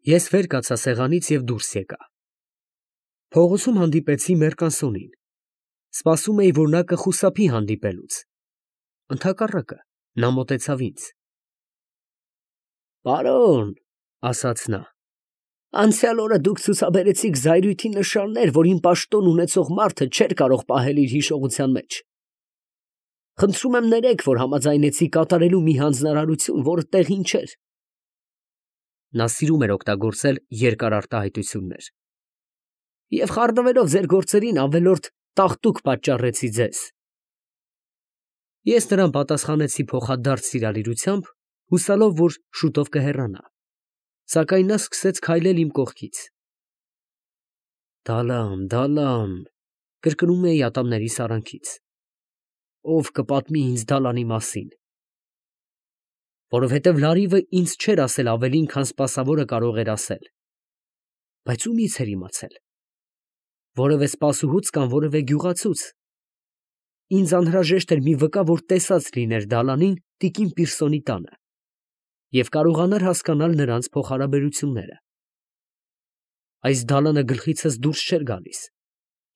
Ես վեր կացա սեղանից և դուրս եկա։ Փողոցում հանդիպեցի Մերկանսոնին։ Սպասում էի, որ նա կխուսափի հանդիպելուց։ Ընդհակառակը, նա մոտեցավ ինձ։ «Պարոն, ֊ ասաց նա, ֊ անցյալ օրը դուք ցուցաբերեցիք զայրույթի նշաններ, որ իմ պաշտոն ունեցող մարդը չէր կարող պահել իր հիշողության մեջ։ Խնդրում եմ ներեք, որ համաձայնեցի կատարելու մի հանձնարարություն, որը տեղին չէր»։ Նա սիրում էր օգտագործել երկար արտահայտություններ։ «Եվ խառնվելով ձեր գործերին ավելորդ տաղտուկ պատճառեցի ձեզ»։ Ես նրան պատասխանեցի փոխադարձ սիրալիրությամբ, հուսալով, որ շուտով կհեռանա, սակայն նա սկսեց քայլել իմ կողքից։ «Դալան, Դալան», կրկնում էի ատամներիս արանքից։ «Ով կպատմի ինձ Դալանի մասին»։ Որովհետև լարիվը ինձ չէր ասել ավելին, քան սպասավորը կարող էր ասել։ Բայց ումի՞ց էր իմացել։ Որևէ սպասուհուց կամ որևէ գյուղացուց։ Ինձ անհրաժեշտ էր մի վկա, որ տեսած լիներ Դալանին տիկին Պիրսոնի տանը և կարողանար հասկանալ նրանց փոխհարաբերությունները։ Այս Դալանը գլխիցս դուրս չէր գալիս,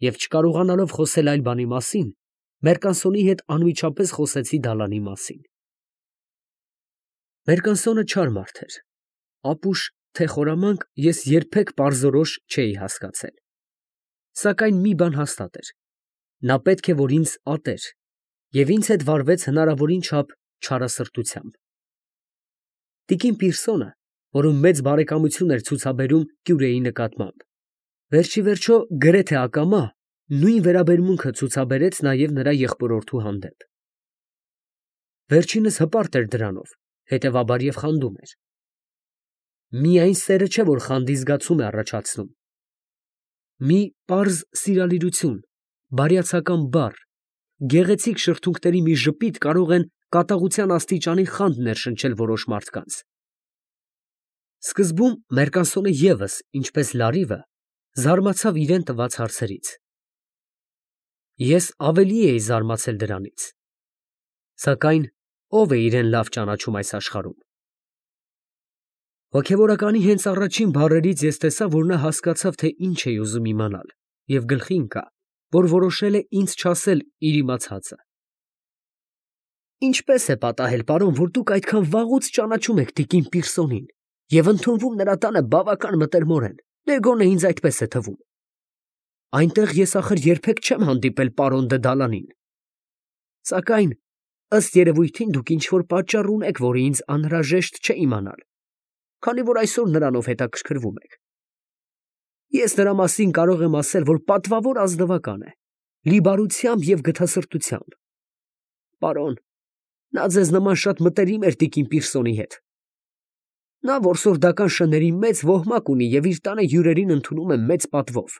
և չկարողանալով խոսել այլ բանի մասին, Մերկանսոնի հետ անմիջապես խոսեցի Դալանի մասին։ Մերկանսոնը չար մարդ էր, ապուշ, թե խորամանկ ես երբեք պարզորոշ չէի հասկացել։ Սակայն մի բան հաստատ էր. նա պետք է որ ինձ ատեր, և ինձ հետ վարվեց հնարավորին չափ չարասրտությամբ։ Տիկին Պիրսոնը, որում մեծ բարեկամություն էր ցուցաբերում Կյուրեի նկատմամբ, վերջիվերջո գրեթե ակամա նույն վերաբերմունքը ցուցաբերեց նաև նրա եղբորորդու հանդեպ։ Վերջինս հպարտ էր դրանով, հետևաբար և խանդում էր։ Միայն սերը չէ, որ խանդի զգացում է առաջացնում։ Մի պարզ սիրալիրություն, բարյացակամ բառ, գեղեցիկ շրթունքների մի ժպիտ կարող են կատաղության աստիճանի խանդ ներշնչել որոշ մարդկանց։ Սկզբում Մերկանսոնը ևս, ինչպես լարիվը, զարմացավ իրան տված հարցերից։ Ես ավելի էի զարմացել դրանից։ Սակայն ո՞վ է իրեն լավ ճանաչում այս աշխարհում։ Հոգևորականի հենց առաջին բառերից ես տեսա, որ նա հասկացավ, թե ինչ էի ուզում իմանալ, և գլխի ընկա, որ որոշել է ինձ չասել իր իմացածը։ Ինչպե՞ս է պատահել, պարոն, որ դուք այդքան վաղուց ճանաչում եք տիկին Պիրսոնին և ընդունվում նրա տանը բավական մտերմորեն, դե գոնե ինձ այդպես է թվում։ Այնտեղ ես ախր երբեք չեմ հանդիպել պարոն դը Դալանին։ Սակայն, ըստ երևույթին, դուք ինչ֊որ պատճառ ունեք, որը ինձ անհրաժեշտ չէ իմանալ, քանի որ այսօր նրանով հետաքրքրվում եք։ Ես նրա մասին կարող եմ ասել, որ պատվավոր ազնվական է, լի բարությամբ և գթասրտությամբ։ Պարոն, նա ձեզ նման շատ մտերիմ էր տիկին Պիրսոնի հետ։ Նա որսորդական շների մեծ ոհմակ ունի և իր տանը հյուրերին ընդունում է մեծ պատվով։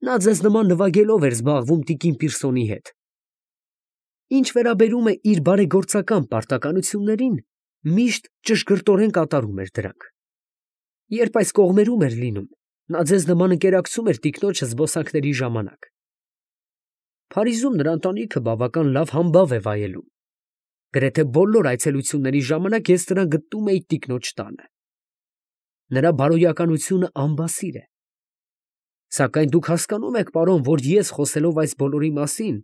Նա ձեզ նման նվագելով էր զբաղվում տիկին Պիրսոնի հետ։ Ինչ վերաբերում է իր բարեգործական պարտականություններին, միշտ ճշգրտորեն կատարում էր դրանք։ Երբ այս կողմերում էր լինում, նա ձեզ նման ընկերակցում էր տիկնոջը զբոսանքների ժամանակ։ Փարիզում նրա ընտանիքը բավական լավ համբավ է վայելում։ Գրեթե բոլոր այցելությունների ժամանակ ես նրան գտնում էի տիկնոջ տանը։ Նրա բարոյականությունը անբասիր է։ Սակայն դուք հասկանում եք, պարոն, որ ես խոսելով այս բոլորի մասին,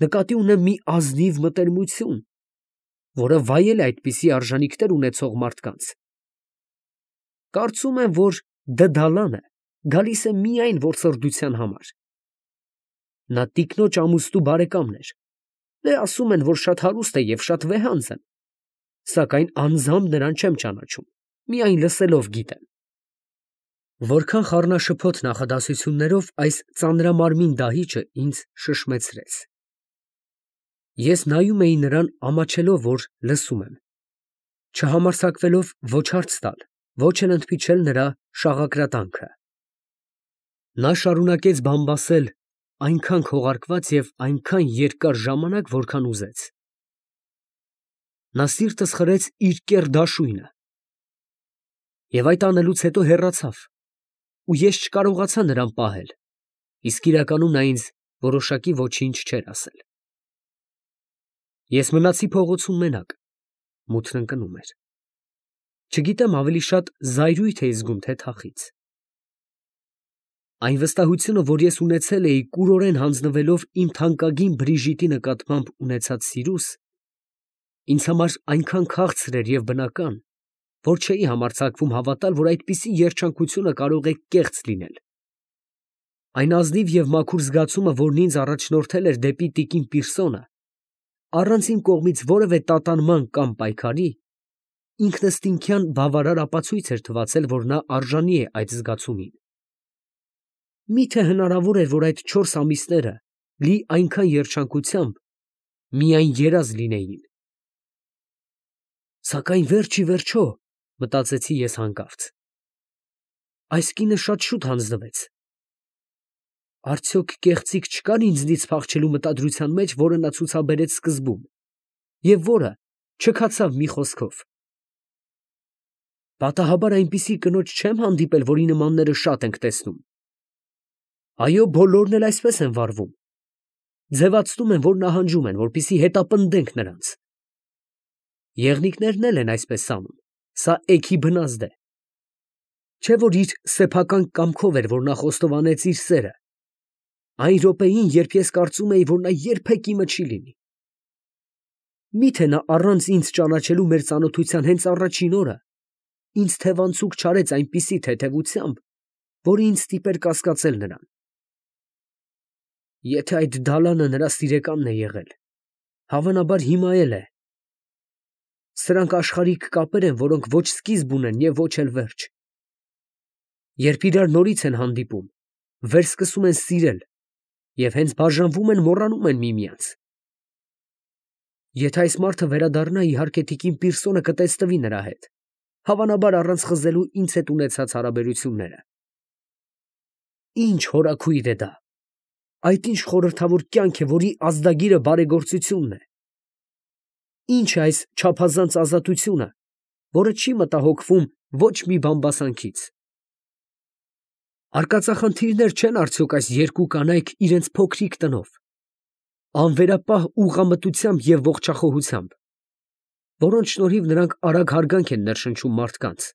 նկատի ունեմ մի ազնիվ մտերմություն, որը վայել է այդպիսի արժանիքներ ունեցող մարդկանց։ Կարծում եմ, որ Դալանը գալիս է միայն որսորդության համար։ Նա տիկնոջ ամուսնու բարեկամն էր։ Դե ասում են, որ շատ հարուստ է և շատ վեհանձն, սակայն անձամբ նրան չեմ ճանաչում, միայն լսելով գիտեմ։ Որքան խառնաշփոթ նախադասություններով այս ծանրամարմին դահիճը ինձ շշմեցրեց։ Ես նայում էի նրան, ամաչելով, որ լսում եմ, չհամարձակվելով ոչ հարց տալ, ոչ էլ ընդմիջել նրա շաղակրատանքը։ Նա շարունակեց բամբասել այնքան քողարկված և այնքան երկար ժամանակ, որքան ուզեց։ Նա սիրտս խրեց իր կեռ դաշույնը և այդ անելուց հետո հեռացավ, ու ես չկարողացա նրան պահել, իսկ իրականում նա ինձ որոշակի ոչինչ չէր ասել։ Ես մնացի փողոցում մենակ, մութն ընկնում էր։ Չգիտեմ ավելի շատ զայրույթ է զգում, թե թախից։ Այն վստահությունը, որ ես ունեցել էի կուրորեն հանձնվելով իմ թանկագին Բրիժիտի նկատմամբ ունեցած սիրուս, ինձ համար այնքան քաղցր էր և բնական, որ չէի համարձակվում հավատալ, որ այդպիսի երջանկությունը կարող է կեղծ լինել։ Այն ազնիվ և մաքուր զգացումը, որն ինձ առաջնորդել էր դեպի տիկին Պիրսոնը, առանց իմ կողմից որևէ տատանման կամ պայքարի, ինքնըստինքյան բավարար ապացույց էր թվացել, որ նա արժանի է այդ զգացումին։ Մի՞թե հնարավոր էր, որ այդ 4 ամիսները լի այնքան երջանկությամբ միայն երազ լինեին։ Սակայն վերջ ի վերջո, մտածեցի ես հանկարծ, այս կինը շատ շուտ հանձնվեց։ Արդյոք կեղծիք չկար ինձնից փախչելու մտադրության մեջ, որը նա ցուցաբերեց սկզբում, և որը չքացավ մի խոսքով։ Պատահաբար այնպիսի կնոջ չեմ հանդիպել, որի նմանները շատ ենք տեսնում։ Այո, բոլորն էլ այսպես են վարվում։ Ձևացնում են, որ նահանջում են, որպեսզի հետապնդենք նրանց։ Եղնիկներն էլ են այսպես անում, սա էգի բնազդ է։ Չէ՞ որ իր սեփական կամքով էր, որ նա խոստովանեց իր սերը, այն րոպեին, երբ ես կարծում էի, որ նա երբեք իմը չի լինի։ Մի՞թե նա առանց ինձ ճանաչելու մեր ծանոթության հենց առաջին օրը ինձ թևանցուկ չարեց այնպիսի թեթևությամբ, որը ինձ ստիպեր կասկածել նրան։ Եթե այդ դալանը նրա սիրեկանն է եղել, հավանաբար հիմա էլ է։ Սրանք աշխարհիկ կապեր են, որոնք ոչ սկիզբ ունեն և ոչ էլ վերջ։ Երբ իրար նորից են հանդիպում, վերսկսում են սիրել և հենց բաժանվում են, մոռանում են միմյանց։ Եթե այս մարդը վերադառնա, իհարկե տիկին Պիրսոնը կտեսնվի նրա հետ, հավանաբար առանց խզելու ինձ հետ ունեցած հարաբերությունները։ Ինչ հորաքույր է դա, այդ ինչ խորհրդավոր կյանք է, որի ազդագիրը բարեգործությունն է։ Ինչ է այս չափազանց ազատությունը, որը չի մտահոգվում ոչ մի բամբասանքից։ Արկածախնդիրներ չեն արդյոք այս երկու կանայք իրենց փոքրիկ տնով, անվերապահ ուղղամտությամբ և ողջախոհությամբ, որոնց շնորհիվ նրանք արագ հարգանք են ներշնչում մարդկանց,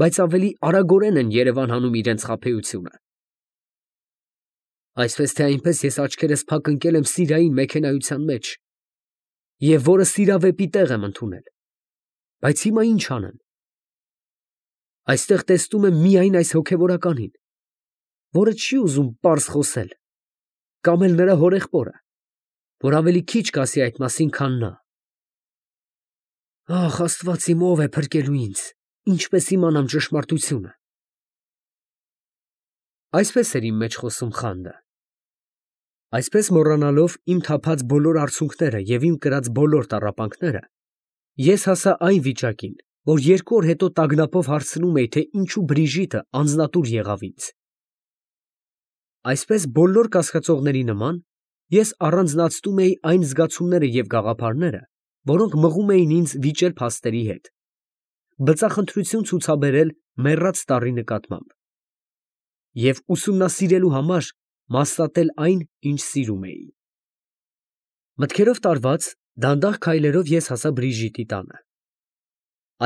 բայց ավելի արագորեն են երևան հանում իրենց խաբեությունը։ Այսպես թե այնպես ես աչքերս փակ ընկել եմ Սիրիային մեքենայության մեջ, և որը սիրավեպի տեղ եմ ընդունել, բայց հիմա ինչ անեմ։ Այստեղ տեսնում եմ միայն այս հոգևորականին, որը չի ուզում պարզ խոսել, կամ էլ նրա հորեղբորը, որ ավելի քիչ կասի այդ մասին, քան նա։ Ախ, Աստված իմ, ով է փրկելու ինձ, ինչպես իմանամ ճշմարտությունը։ Այսպես էր իմ մեջ խոսում Խանդը։ Այսպես մոռանալով իմ թափած բոլոր արցունքները և իմ կրած բոլոր տառապանքները, ես հասա այն վիճակին, որ 2 օր հետո տագնապով հարցնում էի, թե ինչու Բրիժիտը անձնատուր եղավ ինձ։ Այսպես բոլոր կասկածողների նման, ես առանձնացնում էի այն զգացումները և գաղափարները, որոնք մղում էին ինձ վիճել փաստերի հետ, բծախնդրություն ցուցաբերել մեռած տառի նկատմամբ և ուսումնասիրելու համար մասատել այն, ինչ սիրում էի։ Մտքերով տարված, դանդաղ քայլերով ես հասա Բրիժիտի տանը։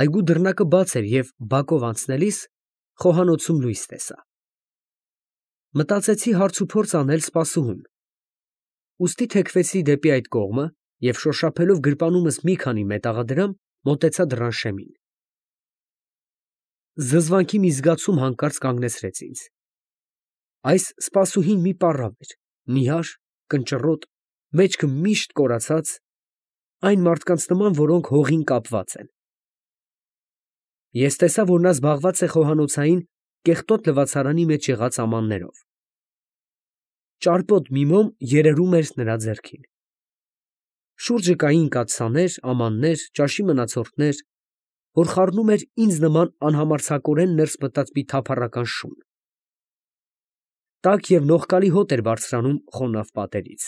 Այգու դռնակը բաց էր և բակով անցնելիս խոհանոցում լույս տեսա։ Մտածեցի հարցուփորձ անել սպասուհուն, ուստի թեքվեցի դեպի այդ կողմը և շոշափելով գրպանումս մի քանի մետաղադրամ, մոտեցա դռան շեմին։ Զզվանքի մի զգացում հանկարծ կանգնեցրեց ինձ։ Այս սպասուհին մի պառավ էր, նիհար, կնճռոտ, մեջքը միշտ կորացած, այն մարդկանց նման, որոնք հողին կապված են։ Ես տեսա, որ նա զբաղված է խոհանոցային կեղտոտ լվացարանի մեջ եղած ամաններով։ Ճարպոտ մի մոմ երերում էր նրա ձեռքին։ Շուրջը կային կաթսաներ, ամաններ, ճաշի մնացորդներ, որ խառնում էր ինձ նման անհամարձակորեն ներս մտած մի թափառական շուն։ Տաք և նողկալի հոտ էր բարձրանում խոնավ պատերից։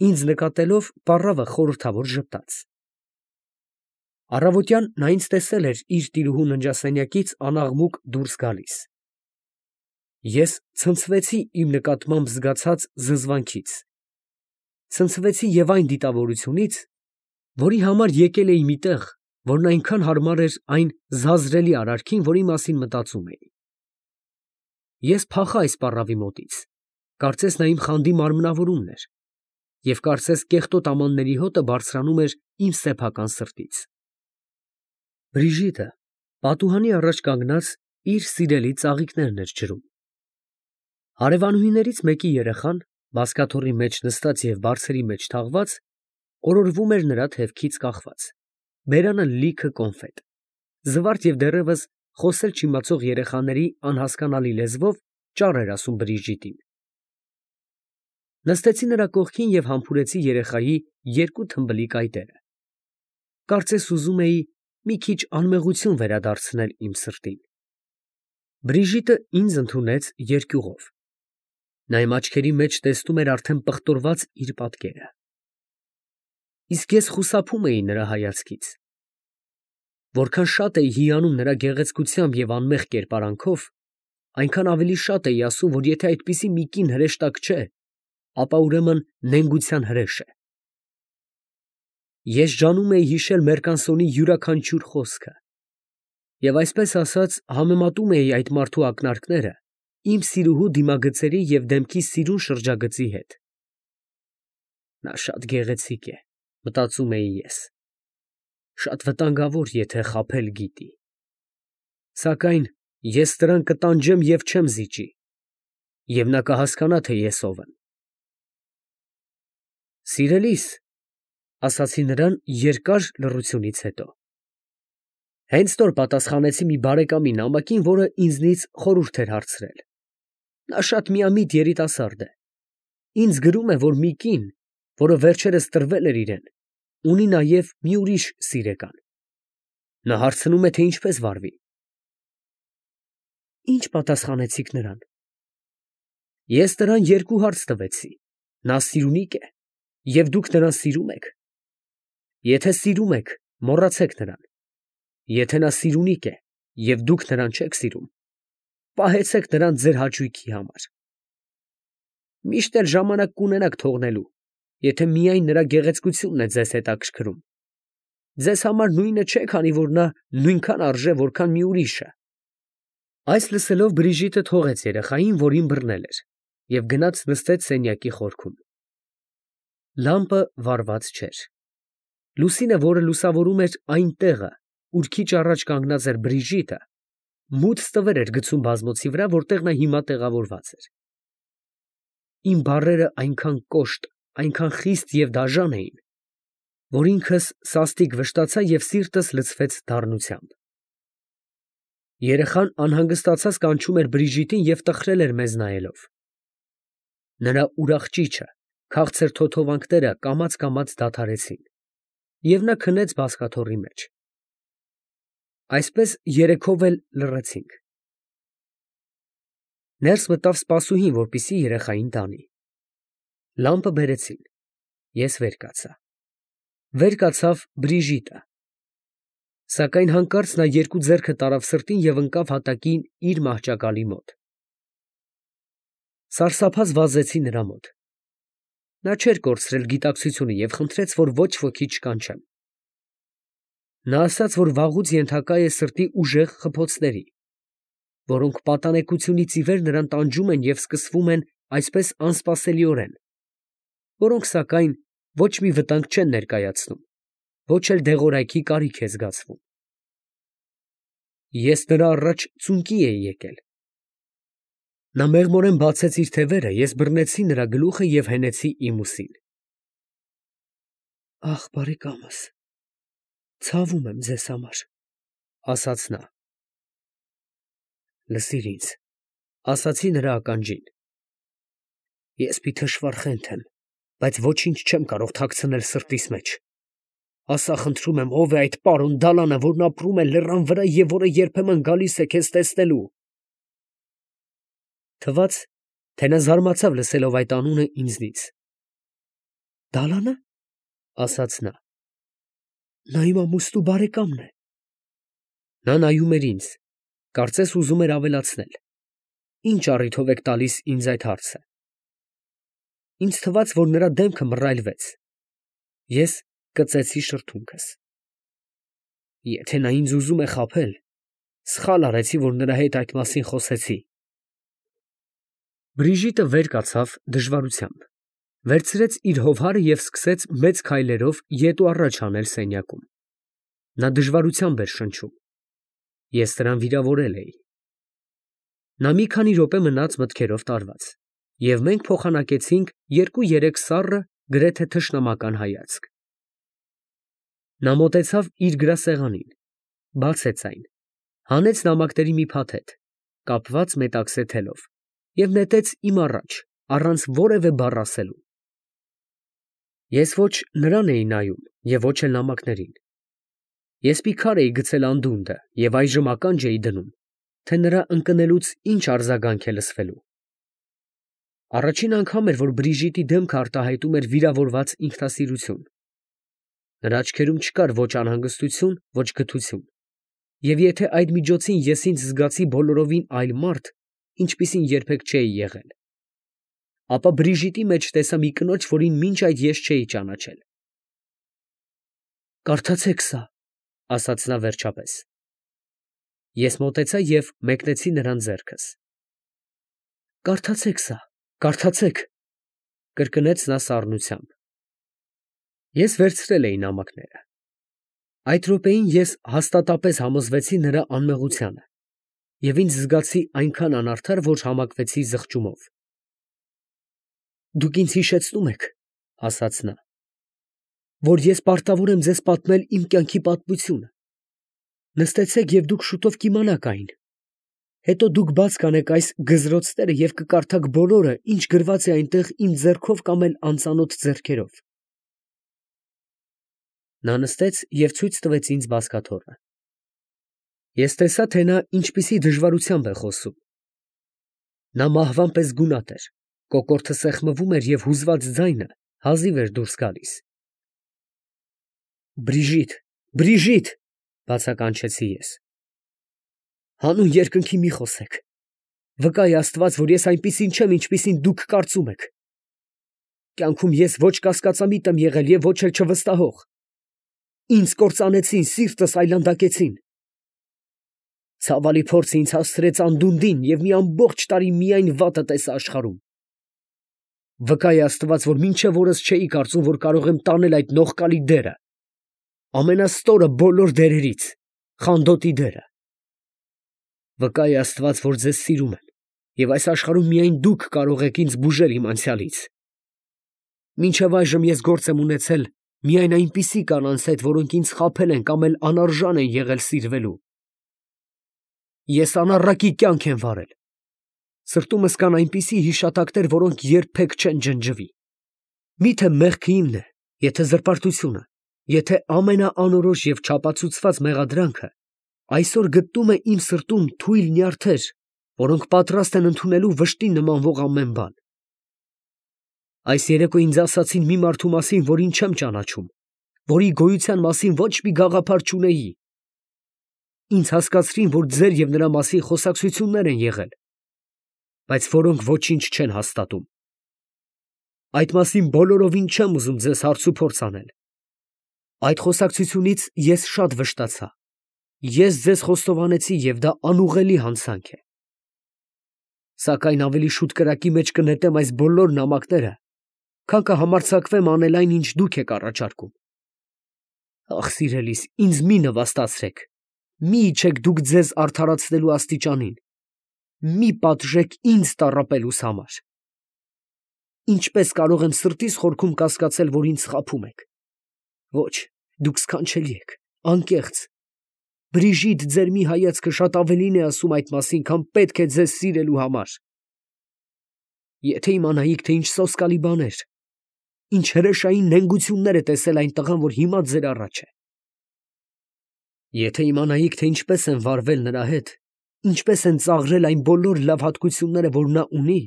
Ինձ նկատելով, պառավը խորհրդավոր ժպտաց։ Առավոտյան նա ինձ տեսել էր իր տիրուհու ննջասենյակից անաղմուկ դուրս գալիս։ Ես ցնցվեցի իմ նկատմամբ զգացած զզվանքից, ցնցվեցի և այն դիտավորությունից, որի համար եկել էի մի տեղ, որն այնքան հարմար էր այն զազրելի արարքին, որի մասին մտածում էի։ Ես փախա այս պառավի մոտից, կարծես նա իմ խանդի մարմնավորումն էր, և կարծես կեղտոտ ամանների հոտը բարձրանում էր իմ սեփական սրտից։ Բրիժիտը պատուհանի առաջ կանգնած իր սիրելի ծաղիկներն էր ջրում։ Հարևանուհիներից մեկի երեխան, բազկաթոռի մեջ նստած և բարձերի մեջ թաղված, օրորվում էր նրա թևքից կախված, բերանը լիքը կոնֆետ, զվարթ և դեռևս խոսել չիմացող երեխաների անհասկանալի լեզվով ճառ էր ասում Բրիժիտին։ Նստեցի նրա կողքին և համբուրեցի երեխայի երկու թմբլիկ այտերը։ Կարծես ուզում էի մի քիչ անմեղություն վերադարձնել իմ սրտին։ Բրիժիտը ինձ ընդունեց երկյուղով։ Նա իմ աչքերի մեջ տեսնում էր արդեն պղտորված իր պատկերը։ Իսկ ես խուսափում էի նրա հայացքից։ Որքան շատ էի հիանում նրա գեղեցկությամբ և անմեղ կերպարանքով, այնքան ավելի շատ էի ասում, որ եթե այդպիսի մի կին հրեշտակ չէ, ապա ուրեմն նենգության հրեշ է։ Ես ջանում էի հիշել Մերկանսոնի յուրաքանչյուր խոսքը և այսպես ասած համեմատում էի այդ մարդու ակնարկները իմ սիրուհու դիմագծերի և դեմքի սիրուն շրջագծի հետ։ Նա շատ գեղեցիկ է, մտածում էի ես, շատ վտանգավոր, եթե խաբել գիտի, սակայն ես նրան կտանջեմ և չեմ զիջի, և նա կհասկանա, թե ես ով եմ։ Սիրելիս, ֊ ասացի նրան երկար լռությունից հետո, հենց նոր պատասխանեցի մի բարեկամի նամակին, որը ինձնից խորհուրդ էր հարցրել։ Նա շատ միամիտ երիտասարդ է։ Ինձ գրում է, որ մի կին, որը վերջերս տրվել էր իրեն, ունի նաև մի ուրիշ սիրեկան։ Նա հարցնում է, թե ինչպես վարվի։ Ի՞նչ պատասխանեցիք նրան։ Ես նրան երկու հարց տվեցի. նա սիրունիկ է, և դուք նրան սիրում եք։ Եթե սիրում եք, մոռացեք նրան։ Եթե նա սիրունիկ է, և դուք նրան չեք սիրում, պահեցեք նրան ձեր հաճույքի համար։ Միշտ էլ ժամանակ կունենաք թողնելու, եթե միայն նրա գեղեցկությունն է ձեզ հետաքրքրում։ Ձեզ համար նույնը չէ, քանի որ նա նույնքան արժե, որքան մի ուրիշը։ Այս լսելով Բրիժիտը թողեց երեխային, որին բռնել էր, և գնաց նստեց սենյակի խորքում։ Լամպը վառված չէր։ Լուսինը, որը լուսավորում էր այն տեղը, ուր քիչ առաջ կանգնած էր Բրիժիտը, մութ ստվեր էր գցում բազմոցի վրա, որտեղ նա հիմա տեղավորված էր։ Իմ բառերը այնքան կոշտ, այնքան խիստ և դաժան էին, որ ինքս սաստիկ վշտացա և սիրտս լցվեց դառնությամբ։ Երեխան անհանգստացած կանչում էր Բրիժիտին և տխրել էր մեզ նայելով։ Նրա ուրախ ճիչը, քաղցր թոթովանքները կամաց դադարեցին, և նա քնեց բազկաթոռի մեջ։ Այսպես երեքով էլ լռեցինք։ Ներս մտավ սպասուհին, որպեսզի երեխային տանի։ Լամպը բերեցին։ Ես վեր կացա։ Վեր կացավ Բրիժիտը։ Սակայն հանկարծ նա երկու ձեռքը տարավ սրտին և ընկավ հատակին իր մահճակալի մոտ։ Սարսափած վազեցի նրա մոտ։ Նա չէր կորցրել գիտակցությունը և խնդրեց, որ ոչ ոքի չկանչեմ։ Նա ասաց, որ վաղուց ենթակա է սրտի ուժեղ խփոցների, որոնք պատանեկությունից ի վեր նրան տանջում են և սկսվում են այսպես անսպասելիորեն, որոնք, սակայն, ոչ մի վտանգ չեն ներկայացնում, ոչ էլ դեղորայքի կարիք է զգացվում։ Ես նրա առաջ ծունկի էի եկել։ Նա մեղմորեն բացեց իր թևերը, ես բռնեցի նրա գլուխը և հենեցի իմ ուսին։ Ախ, բարեկամս, ցավում եմ ձեզ համար, ֊ ասաց նա։ Լսիր ինձ, ֊ ասացի նրա ականջին։ Ես մի թշվառ խենթ եմ, բայց ոչինչ չեմ կարող թաքցնել սրտիս մեջ։ Ասա, խնդրում եմ, ո՞վ է այդ պարոն դալանը, որն ապրում է լեռան վրա և որը երբեմն գալիս է քեզ տեսնելու։ Թվաց, թե նա զարմացավ լսելով այդ անունը ինձնից։ Դալա՞նը, ֊ ասաց նա։ Նա իմ ամուսնու բարեկամն է։ Նա նայում էր ինձ, կարծես ուզում էր ավելացնել. Ինչ առիթով եք տալիս ինձ այդ հարցը։ Ինձ թվաց, որ նրա դեմքը մռայլվեց։ Ես կծեցի շրթունքս։ Եթե նա ինձ ուզում է խաբել, սխալ արեցի, որ նրա հետ այդ մասին խոսեցի։ Բրիժիտը վեր կացավ դժվարությամբ, վերցրեց իր հովհարը և սկսեց մեծ քայլերով ետ ու առաջ անել սենյակում։ Նա դժվարությամբ էր շնչում։ Ես նրան վիրավորել էի։ Նա մի քանի րոպե մնաց մտքերով տարված, և մենք փոխանակեցինք 2-3 սառը, գրեթե թշնամական հայացք։ Նա մոտեցավ իր գրասեղանին, բացեց այն, հանեց նամակների մի փաթեթ, կապված մետաքսե թելով, և նետեց իմ առաջ, առանց որևէ բառ ասելու։ Ես ոչ նրան էի նայում և ոչ էլ նամակներին։ Ես մի քար էի գցել անդունդը և այժմ ականջ էի դնում, թե նրա ընկնելուց ինչ արձագանք է լսվելու։ Առաջին անգամ էր, որ Բրիժիտի դեմքը արտահայտում էր վիրավորված ինքնասիրություն։ Նրա աչքերում չկար ոչ անհանգստություն, ոչ գթություն, և եթե այդ միջոցին ես ինձ զգացի բոլորովին այլ մարդ, ինչպիսին երբեք չէի եղել, ապա Բրիժիտի մեջ տեսա մի կնոջ, որին մինչ այդ ես չէի ճանաչել։ «Կարդացեք սա», ֊ ասաց նա վերջապես։ Ես մոտեցա և մեկնեցի նրան ձեռքս։ «Կարդացեք սա, կարդացեք», ֊ կրկնեց նա սառնությամբ։ Ես վերցրել էի նամակները։ Այդ րոպեին ես հաստատապես համոզվեցի նրա անմեղությանը և ինձ զգացի այնքան անարդար, որ համակվեցի զղջումով։ «Դուք ինձ հիշեցնում եք, ֊ ասաց նա, ֊ որ ես պարտավոր եմ ձեզ պատմել իմ կյանքի պատմությունը։ Նստեցեք և դուք շուտով կիմանաք այն։ Հետո դուք բաց կանեք այս գզրոցները և կկարդաք բոլորը, ինչ գրված է այնտեղ իմ ձեռքով կամ էլ անծանոթ ձեռքերով»։ Նա նստեց և ցույց տվեց ինձ բազկաթոռը։ Ես տեսա, թե նա ինչպիսի դժվարությամբ է խոսում։ Նա մահվան պես գունատ էր, կոկորդը սեղմվում էր և հուզված ձայնը հազիվ էր դուրս գալիս։ «Բրիժիտ, Բրիժիտ, ֊ բացականչեցի ես, ֊ հանուն երկնքի մի խոսեք. վկա է Աստված, որ ես այնպիսին չեմ, ինչպիսին դուք կարծում եք։ Կյանքում ես ոչ կասկածամիտ եմ եղել և ոչ էլ չվստահող։ Ինձ կործանեցին, սիրտս այլանդակեցին։ Ցավալի փորձը ինձ հասցրեց անդունդին և մի ամբողջ տարի միայն վատը տեսա աշխարհում։ Վկա է Աստված, որ մինչև օրս չէի կարծում, որ կարող եմ տանել այդ նողկալի դերը, ամենաստորը բոլոր դերերից, խանդոտի դերը։ Վկա է Աստված, որ ձեզ սիրում եմ, և այս աշխարհում միայն դուք կարող եք ինձ բուժել իմ անցյալից։ Մինչև այժմ ես գործ եմ ունեցել միայն այնպիսի կանանց հետ, որոնք ինձ խաբել են կամ էլ անարժան են եղել սիրվելու։ Ես անառակի կյանք եմ վարել։ Սրտումս կան այնպիսի հիշատակներ, որոնք երբեք չեն ջնջվի։ Մի՞թե մեղքը իմն է, եթե զրպարտությունը, եթե ամենաանորոշ և չապացուցված մեղադրանքը այսօր գտնում է իմ սրտում թույլ նյարդեր, որոնք պատրաստ են ընդունելու վշտին նմանվող ամեն բան։ Այս երեկո ինձ ասացին մի մարդու մասին, որին չեմ ճանաչում, որի գոյության մասին ոչ մի գաղափար չունեի։ Ինձ հասկացրին, որ ձեր և նրա մասին խոսակցություններ են եղել, բայց որոնք ոչինչ չեն հաստատում։ Այդ մասին բոլորովին չեմ ուզում ձեզ հարցուփորձ անել։ Այդ խոսակցությունից ես շատ վշտացա։ Ես ձեզ խոստովանեցի, և դա անուղղելի հանցանք է։ Սակայն ավելի շուտ կրակի մեջ կնետեմ այս բոլոր նամակները, քան կհամարձակվեմ անել այն, ինչ դուք եք առաջարկում։ Ախ, սիրելիս, ինձ մի նվաստացրեք, մի իջեք դուք ձեզ արդարացնելու աստիճանին, մի պատժեք ինձ տառապելուս համար։ Ինչպես կարող եմ սրտիս խորքում կասկածել, որ ինձ խաբում եք։ Ոչ, դուք սքանչելի եք, անկեղծ։ Բրիժիտ, ձեր մի հայացքը շատ ավելին է ասում այդ մասին, քան պետք է ձեզ սիրելու համար։ Եթե իմանայիք, թե ինչ սոսկալի բաներ, ինչ հրեշային նենգություններ է տեսել այն տղան, որ հիմա ձեր առաջ է։ Եթե իմանայիք, թե ինչպես են վարվել նրա հետ, ինչպես են ծաղրել այն բոլոր լավ հատկությունները, որ նա ունի,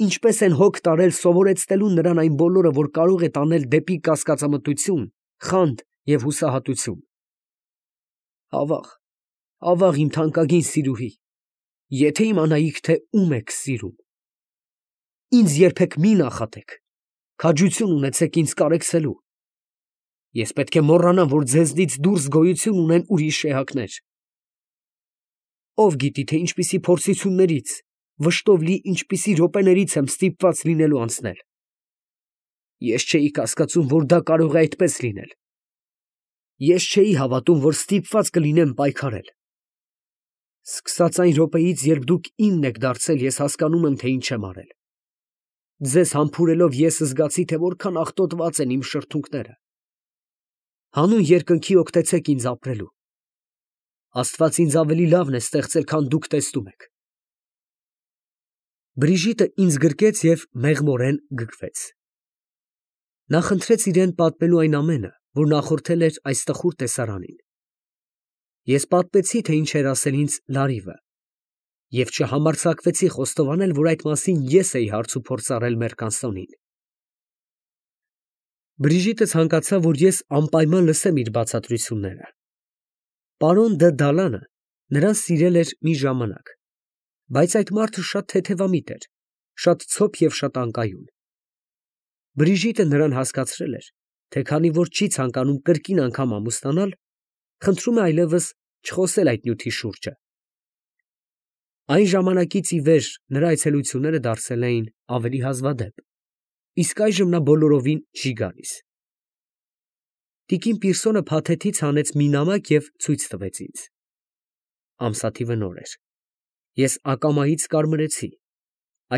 ինչպես են հոգ տարել սովորեցնելու նրան այն բոլորը, որ կարող է տանել դեպի կասկածամտություն, խանդ և հուսահատություն։ Ավաղ, ավաղ, իմ թանկագին սիրուհի, եթե իմանայիք, թե ում եք սիրում։ Ինձ երբեք մի նախատեք, քաջություն ունեցեք ինձ կարեկցելու։ Ես պետք է մոռանամ, որ ձեզնից դուրս գոյություն ունեն ուրիշ էակներ։ Ով գիտի, թե ինչպիսի փորձություններից, վշտով լի ինչպիսի րոպեներից եմ ստիպված լինելու անցնել։ Ես չէի կասկածում, որ դա կարող է այդպես լինել։ Ես չէի հավատում, որ ստիպված կլինեմ պայքարել։ Սկսած այն րոպեից, երբ դուք իմն եք դարձել, ես հասկանում եմ, թե ինչ եմ արել։ Ձեզ համբուրելով ես զգացի, թե որքան աղտոտված են իմ շրթունքները։ Հանուն երկնքի օգտեցեք ինձ ապրելու։ Աստված ինձ ավելի լավն է ստեղծել, քան դուք տեսնում եք։ Բրիժիտը ինձ գրկեց և մեղմորեն գգվեց։ Նա խնդրեց իրեն պատմելու այն ամենը, որ նախորդել էր այս տխուր տեսարանին։ Ես պատմեցի, թե ինչ էր ասել ինձ Լարիվը, և չհամարձակվեցի խոստովանել, որ այդ մասին ես էի հարց ու փորձ արել Մերկանսոնին։ Բրիժիտը ցանկացավ, որ ես անպայման լսեմ իր բացատրությունները։ Պարոն դը Դալանը նրան սիրել էր մի ժամանակ, բայց այդ մարդը շատ թեթևամիտ էր, շատ ցոփ և շատ անկայուն։ Բրիժիտը նրան հասկացրել էր, թե քանի որ չի ցանկանում կրկին անգամ ամուսնանալ, խնդրում է այլևս չխոսել այդ նյութի շուրջը։ Այն ժամանակից ի վեր նրա այցելությունները դարձել էին ավելի հազվադեպ, իսկ այժմ նա բոլորովին չի գալիս։ Տիկին Պիրսոնը փաթեթից հանեց մի նամակ և ցույց տվեց ինձ։ Ամսաթիվը նոր էր։ Ես ակամայից կարմրեցի,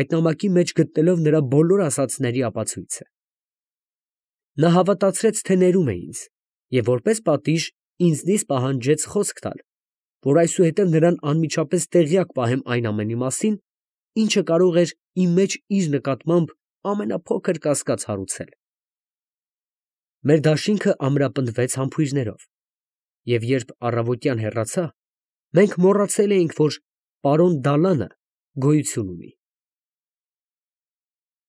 այդ նամակի մեջ գտնելով նրա բոլոր ասածների ապացույցը։ Նա հավատացրեց, թե ներում է ինձ, և որպես պատիժ ինձնից պահանջեց խոսք տալ, որ այսուհետև նրան անմիջապես տեղյակ պահեմ այն ամենի մասին, ինչը կարող էր իմ մեջ իր նկատմամբ ամենափոքր կասկած հարուցել։ Մեր դաշինքը ամրապնդվեց համբույրներով, և երբ առավոտյան հեռացա, մենք մոռացել էինք, որ պարոն Դալանը գոյություն ունի։